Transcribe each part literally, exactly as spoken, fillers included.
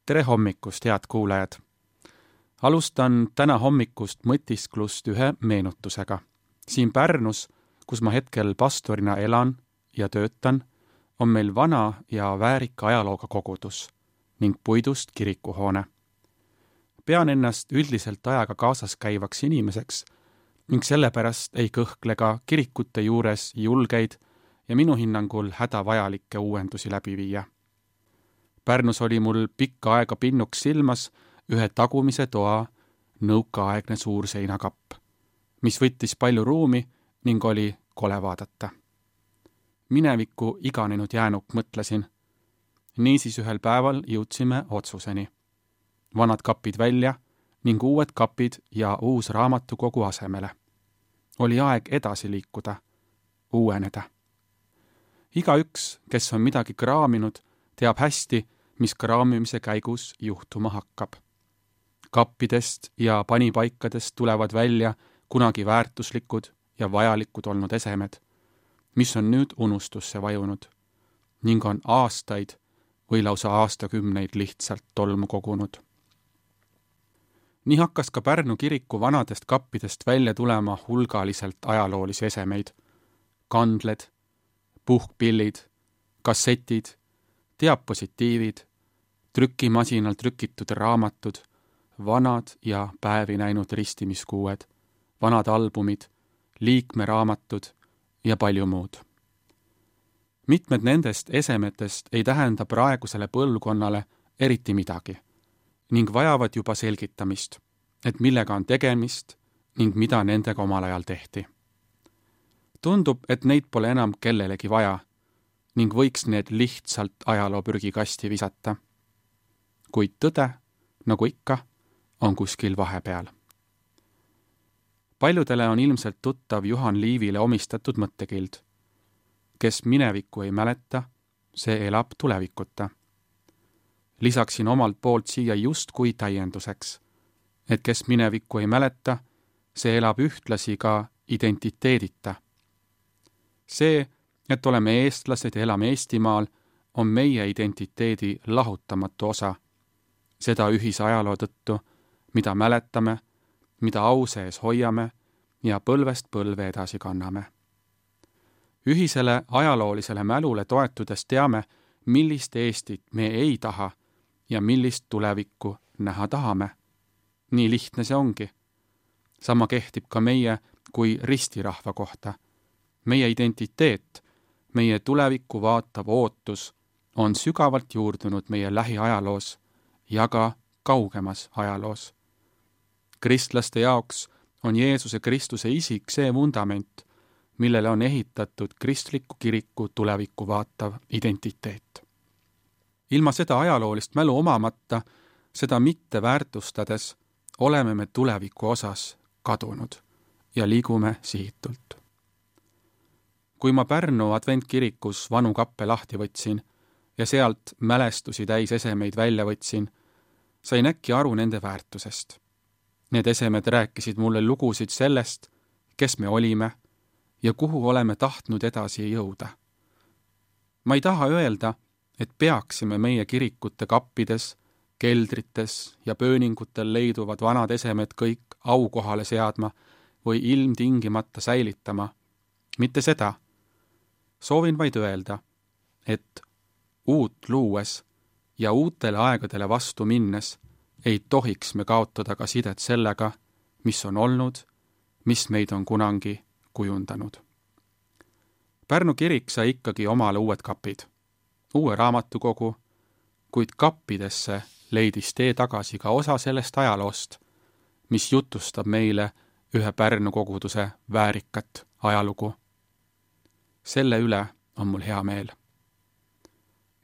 tere hommikust, head kuulajad! Alustan täna hommikust mõtisklust ühe meenutusega. Siin Pärnus, kus ma hetkel pastorina elan ja töötan, on meil vana ja väärika ajalooga kogudus ning puidust kirikuhoone. Pean ennast üldiselt ajaga kaasas käivaks inimeseks ning sellepärast ei kõhkle ka kirikute juures julgeid ja minu hinnangul hädavajalikke uuendusi läbi viia. Pärnus oli mul pikka aega pinnuks silmas ühe tagumise toa nõukaaegne suur seinakapp, mis võttis palju ruumi ning oli kole vaadata. Minevikku iganenud jäänuk mõtlesin. Niisiis ühel päeval jõudsime otsuseni. Vanad kapid välja ning uued kapid ja uus raamatukogu asemele. Oli aeg edasi liikuda, uueneda. Igaüks, kes on midagi kraaminud, teab hästi, mis kraamimise käigus juhtuma hakkab. Kappidest ja panipaikadest tulevad välja kunagi väärtuslikud ja vajalikud olnud esemed, mis on nüüd unustusse vajunud ning on aastaid või lausa aastakümneid lihtsalt tolmu kogunud. Nii hakkas ka Pärnu kiriku vanadest kappidest välja tulema hulgaliselt ajaloolisi esemeid, kandled, puhkpillid, kassetid, diapositiivid, trükimasinal trükitud raamatud, vanad ja päevi näinud ristimiskuued, vanad albumid, liikmeraamatud ja palju muud. Mitmed nendest esemetest ei tähenda praegusele põlvkonnale eriti midagi ning vajavad juba selgitamist, et millega on tegemist ning mida nendega omal ajal tehti. Tundub, et neid pole enam kellelegi vaja ning võiks need lihtsalt ajaloo prügikasti visata. Kuid tõde, nagu ikka, on kuskil vahepeal. Paljudele on ilmselt tuttav Juhan Liivile omistatud mõttekild. Kes minevikku ei mäleta, see elab tulevikuta. Lisaksin omalt poolt siia just kui täienduseks, et kes minevikku ei mäleta, see elab ühtlasi ka identiteedita. See, et oleme eestlased ja elame Eestimaal, on meie identiteedi lahutamatu osa. Seda ühise ajaloo tõttu, mida mäletame, mida au sees hoiame ja põlvest põlve edasi kanname. Ühisele ajaloolisele mälule toetudes teame, millist Eestit me ei taha ja millist tulevikku näha tahame. Nii lihtne see ongi. Sama kehtib ka meie kui ristirahva kohta. Meie identiteet, meie tulevikku vaatav ootus on sügavalt juurdunud meie lähiajaloos ja ka kaugemas ajaloos. Kristlaste jaoks on Jeesuse Kristuse isik see vundament, millele on ehitatud kristliku kiriku tulevikku vaatav identiteet. Ilma seda ajaloolist mälu omamata, seda mitte väärtustades, oleme me tuleviku osas kadunud ja liigume sihitult. Kui ma Pärnu adventkirikus vanu kappe lahti võtsin ja sealt mälestusi täis esemeid välja võtsin, sain äkki aru nende väärtusest. Need esemed rääkisid mulle lugusid sellest, kes me olime ja kuhu oleme tahtnud edasi jõuda. Ma ei taha öelda, et peaksime meie kirikute kappides, keldrites ja pööningutel leiduvad vanad esemed kõik aukohale seadma või ilmtingimata säilitama. Mitte seda. Soovin vaid öelda, et uut luues ja uutele aegadele vastu minnes ei tohiks me kaotada ka sidet sellega, mis on olnud, mis meid on kunagi kujundanud. Pärnu kirik sai ikkagi omale uued kapid, uue raamatukogu, kuid kappidesse leidis tee tagasi ka osa sellest ajaloost, mis jutustab meile ühe Pärnu koguduse väärikat ajalugu. Selle üle on mul hea meel.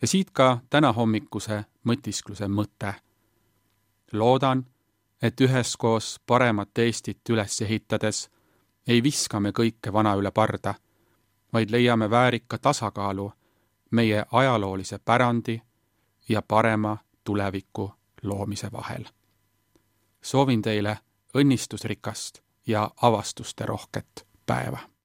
Ja siit ka täna hommikuse mõtiskluse mõte. Loodan, et üheskoos paremat Eestit üles ehitades ei viska me kõike vana üle parda, vaid leiame väärika tasakaalu meie ajaloolise pärandi ja parema tuleviku loomise vahel. Soovin teile õnnistusrikast ja avastuste rohket päeva.